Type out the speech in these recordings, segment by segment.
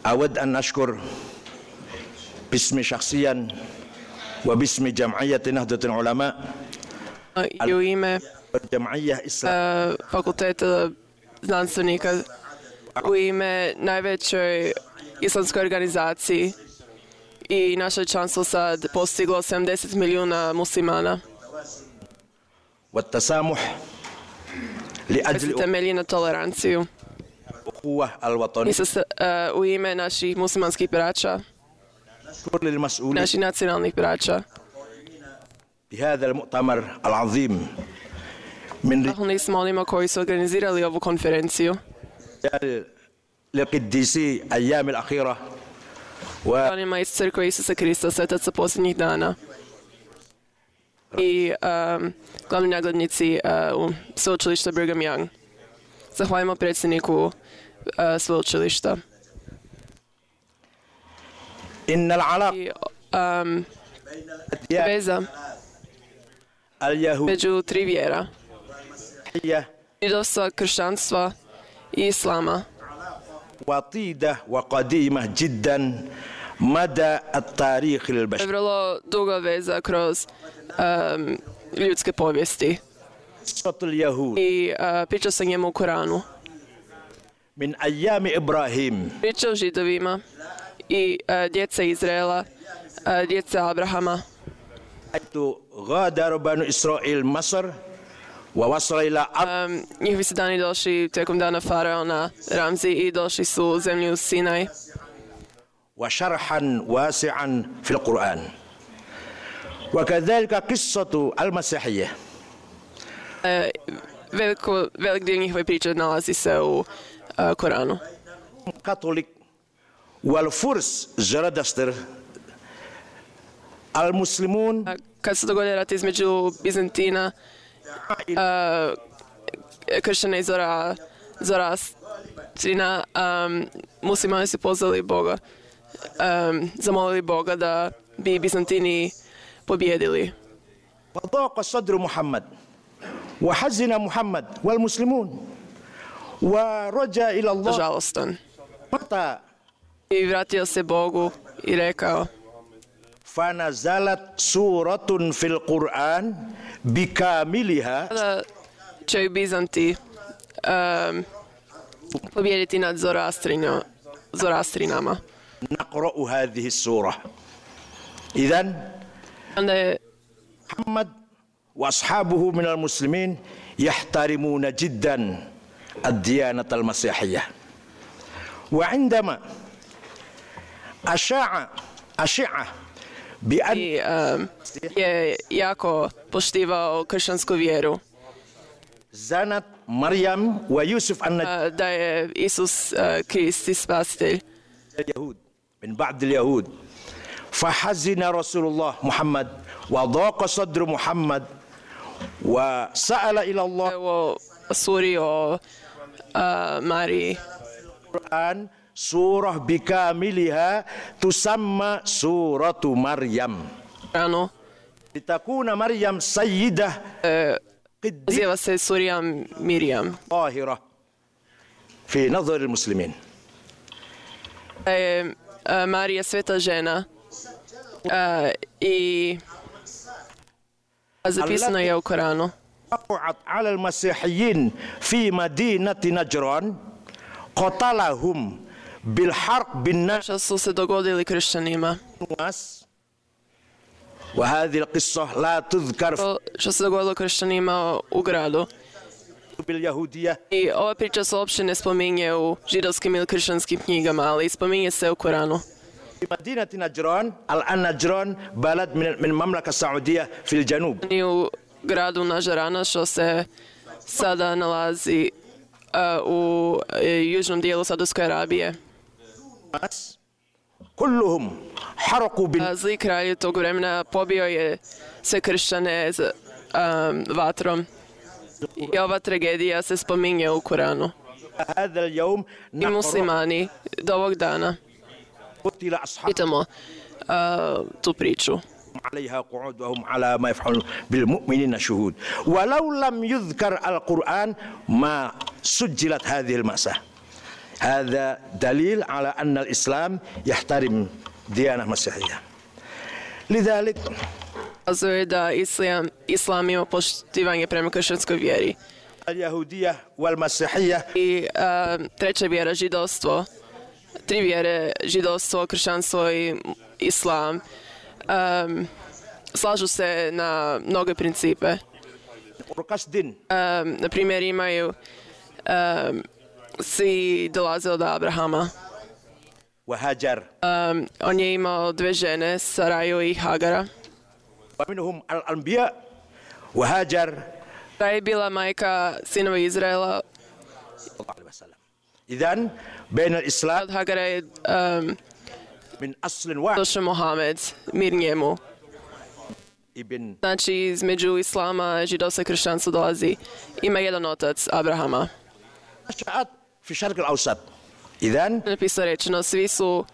أود أن أشكر باسمي شخصيا وباسم جمعية نهضة العلماء I u ime الجمعية الإسلامية fakulteta znanstvenika, u ime najvećoj islamskoj organizaciji, i naše članstvo sad postiglo 70 milijuna muslimana. والتسامح koji se لأجل temelji na toleranciju. الأخوة الوطنية. U ime naših muslimanskih braća, أشكر للمسؤولين naših nacionalnih braća, بهذا المؤتمر العظيم من zahvalni smo onima koji su organizirali ovu konferenciju, رجال لقديسي أيام الأخيرة onima iz crkve Isusa Krista, svetaca posljednjih dana, i glavni naglednici u sveučilišta Brigham Young. Zahvaljujemo predsjedniku sveučilišta. إن العلاقة I veza اليهودية među tri vjera, židovstva, kršćanstva i islama, وطيدة وقديمة جدا مدى التاريخ je البشري. vrlo duga veza kroz ljudske povijesti. قصة اليهود I priča se njemu u Koranu. من أيام إبراهيم Priča o židovima i djece Izraela, djece Abrahama, حيث غادر بنو إسرائيل مصر ووصل إلى أرض njihovi su dani došli tijekom dana faraona Ramzi i došli su u zemlju Sinaj. وشرحا واسعا في القرآن. وكذلك قصة المسيحية Velik dio njihove priče nalazi se u Koranu. كاثوليك والفرس زرادشتر المسلمون Kad se dogodio rat između Bizantina, kršćana i Zoroastrina, muslimani su pozvali Boga, zamolili Boga da bi Bizantini pobjedili. وضاق صدر محمد وحزن محمد والمسلمون ورجع إلى الله Žalostan. متى I vratio se Bogu i rekao: فنزلت سورة في القرآن بكاملها da će Bizanti pobjediti nad Zoroastrinama. نقرأ هذه السورة. إذن Onda je محمد وأصحابه من المسلمين يحترمون جدا الديانة المسيحية. وعندما أشاع بأن je jako poštivao kršćansku vjeru, زنت مريم ويوسف النبي da je Isus Krist i spasitelj. اليهود من بعد اليهود فحزن رسول الله محمد وضاق صدر محمد وسأل إلى الله Evo suri o Mariji, القرآن سورة بكاملها تسمى سورة مريم Koranu, لتكون مريم سيدة قديسة naziva se surija Mirjam. طاهرة في نظر المسلمين. Da je Marija sveta žena i zapisano je u Koranu. وقعت على المسيحيين في مدينة نجران قتلهم بالحرق بالناس Što su se dogodili kršćanima. وهذه القصة لا تذكر في Što se dogodilo kršćanima u gradu. الكتب اليهودية I ova priča se uopće ne spominje u židovskim ili kršćanskim knjigama, ali spominje se u Koranu. في مدينة نجران. الآن نجران بلد من المملكة السعودية في الجنوب. I u gradu Nažarana, što se sada nalazi u južnom dijelu Saudijske Arabije. كلهم حرقوا Zli kralj tog vremena pobio je sve kršćane vatrom. I ova tragedija se spominje u Koranu. هذا اليوم I muslimani do ovog dana قتل أصحاب čitamo tu priču. عليها قعود وهم على ما يفعلون بالمؤمنين شهود ولو لم يذكر القرآن ما سجلت هذه المأساة. هذا دليل على أن الإسلام يحترم ديانة مسيحية. لذلك Kazuje da islam ima poštivanje prema kršćanskoj vjeri. اليهودية والمسيحية I treća vjera, židovstvo, tri vjere, židovstvo, kršćanstvo i islam, slažu se na mnoge principe. قصد Na primjer, imaju svi dolaze od Abrahama. وهاجر On je imao dve žene, Saraju i Hagara. ومنهم الأنبياء وهاجر Ta je bila majka sinova Izraela. صلى الله عليه وسلم. إذن بين الإسلام Od Hagara je من أصل واحد došao Mohamed, mir njemu. ابن Znači, između islama, židovstva i kršćanstva dolazi. Ima jedan otac, Abrahama. نشأت في الشرق الأوسط. إذن Napisao rečeno, svi su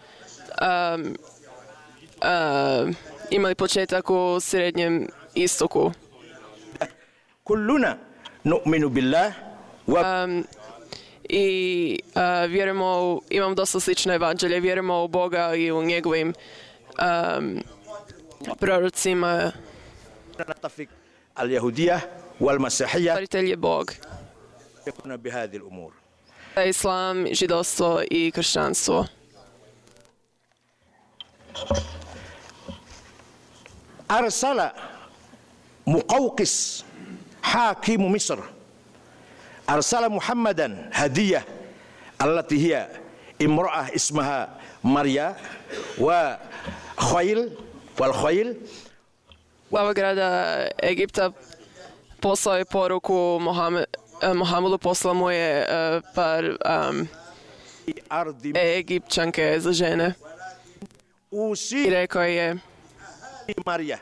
imali početak u Srednjem istoku. كلنا نؤمن بالله I vjerujemo, imam dosta slično evanđelje, vjerujemo u Boga i u njegovim prorocima. ونتفق اليهودية والمسيحية Stvaritelj je Bog. يكون بهذه الأمور. Islam, židovstvo i kršćanstvo. أرسل مقوقس حاكم مصر أرسل محمدا هدية التي هي امرأة اسمها مريا وخيل والخيل Glava grada Egipta poslao je poruku Mohamedu, poslao mu je par أرض Egipćanke za žene i أوصي rekao je مريا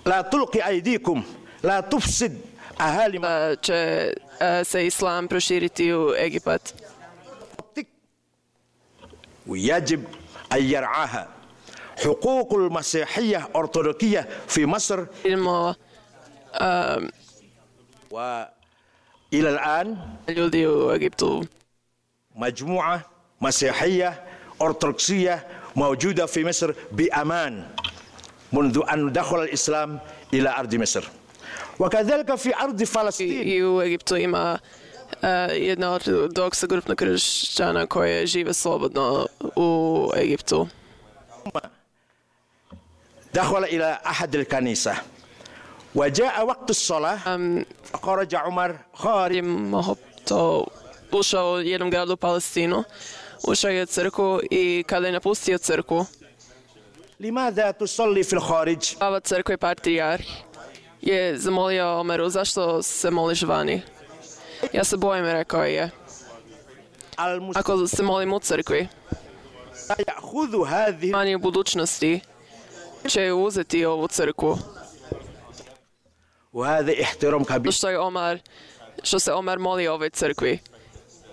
لا تلقي أيديكم لا تفسد أهالي da će se islam proširiti u Egipat. منطق ويجب أن يرعاها حقوق المسيحية أرثوذكية في مصر Vidimo وإلى الآن ljudi u Egiptu. مجموعة مسيحية أرثوذكسية موجودة في مصر بأمان منذ أن دخل الإسلام إلى أرض مصر وكذلك في أرض فلسطين. I u Egiptu ima jedna ortodoksa grupna kršćana koje žive slobodno u Egiptu. دخل إلى أحد الكنيسة وجاء وقت الصلاة فخرج عمر خارج To ušao u jednom gradu u Palestinu, ušao je u crkvu i kada je napustio crkvu, لماذا تصلي في الخارج؟ glava crkve patrijarh je zamolio Omeru, zašto se moliš vani? Ja se bojim, rekao je, المسلمون ako se molim u crkvi, يأخذ هذه vani u budućnosti će uzeti ovu crkvu. وهذا احترام كبير. Što se Omar moli ovoj crkvi.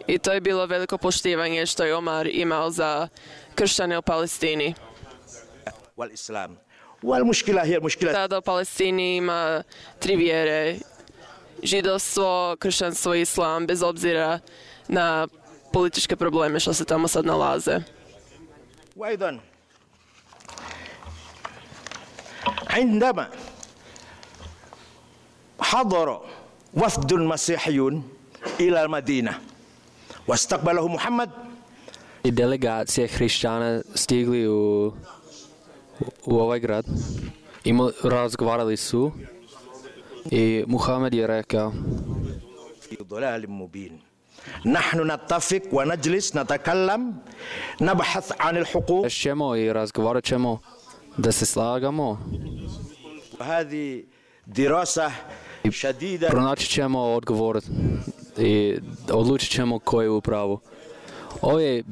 I to je bilo veliko poštivanje što je Omar imao za kršćane u Palestini. والإسلام والمشكلة هي المشكلة Tada u Palestini ima tri vjere, židovstvo, kršćanstvo i islam, bez obzira na političke probleme što se tamo sad nalaze. وأيضا عندما حضر وفد مسيحيون إلى المدينة واستقبله محمد I delegacije hrišćana stigli u ovaj grad i razgovarali su i Muhammed je rekao في ضلال مبين نحن نتفق ونجلس نتكلم نبحث عن الحقوق ćemo i razgovarat ćemo da se slagamo وهذه دراسة شديدة pronaći ćemo odgovor i odlučit ćemo ko je u pravu. Ovo je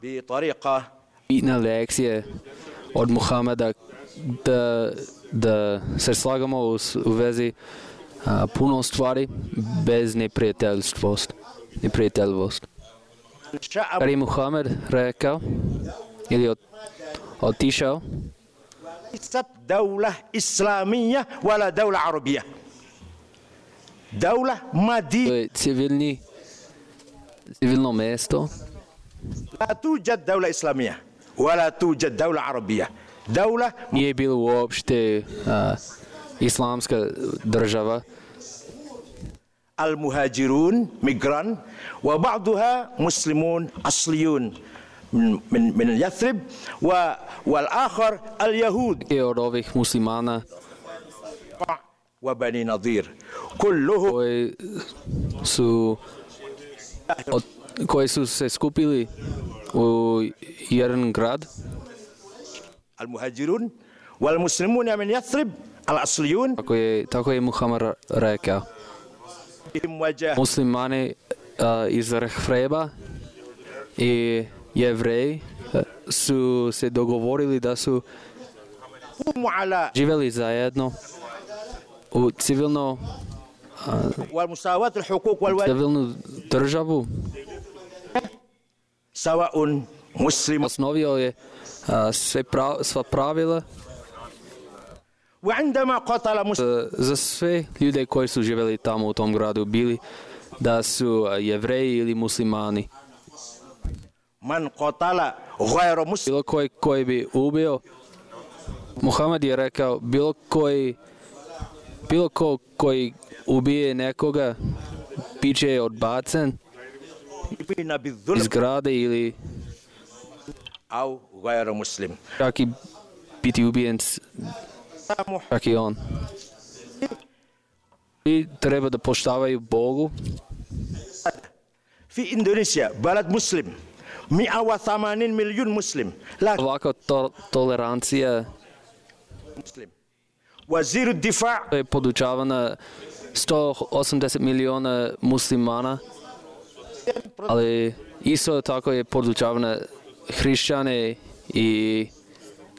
بطريقة bitna lekcija od Muhameda da se slagamo u vezi puno stvari bez neprijateljstvost. شاء Kad je Muhammed rekao ili otišao, ليست دولة إسلامية ولا دولة عربية دولة To مادية. je civilno mesto. لا توجد دولة إسلامية ولا توجد دولة عربية. دولة Nije bilo uopšte islamska država. المهاجرون ميجران وبعضها مسلمون أصليون من يثرب والآخر اليهود I od ovih muslimana وبني نظير كلهم koji su se skupili u jedan grad. المهاجرون والمسلمون من يثرب الأصليون Tako je Muhammed rekao. Muslimani iz Rehreba i Jevreji su se dogovorili da su živjeli zajedno u civilnu državu. سواء مسلم Osnovio je sva pravila وعندما قاتل مسلم za sve ljude koji su živjeli tamo u tom gradu, bili da su Jevreji ili muslimani. من قاتل غير مسلم Bilo koji bi ubio, Muhammed je rekao, bilo ko koji ubije nekoga, bit će odbacen iz grade ili أو غير مسلم. čak i biti ubijen, čak i on. I treba da poštavaju Bogu. في إندونيسيا بلد مسلم 180 مليون مسلم لا Ovakva tolerancija مسلم. وزير الدفاع je podučavana 180 miliona muslimana, ali isto tako je podučavana hrišćane i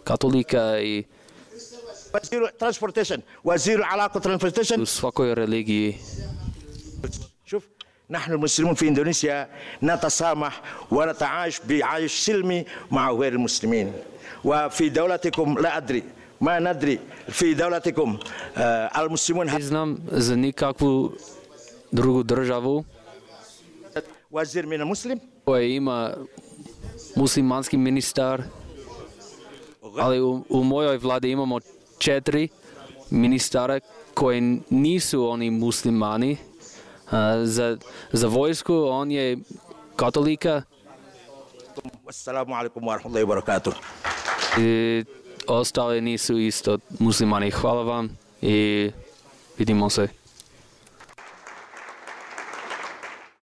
katolika i وزير ترانسبورتيشن وزير العلاقة ترانسبورتيشن. u svakoj religiji. شوف نحن المسلمون في إندونيسيا نتسامح ونتعايش بعيش سلمي مع غير المسلمين. وفي دولتكم لا أدري ما ندري في دولتكم المسلمون Ne znam za nikakvu drugu državu وزير من المسلم koja ima muslimanski ministar, ali u mojoj vladi imamo 4 ministara koji nisu oni muslimani. Za vojsku on je katolika والسلام عليكم ورحمة الله وبركاته. i ostali nisu isto muslimani. Hvala vam i vidimo se.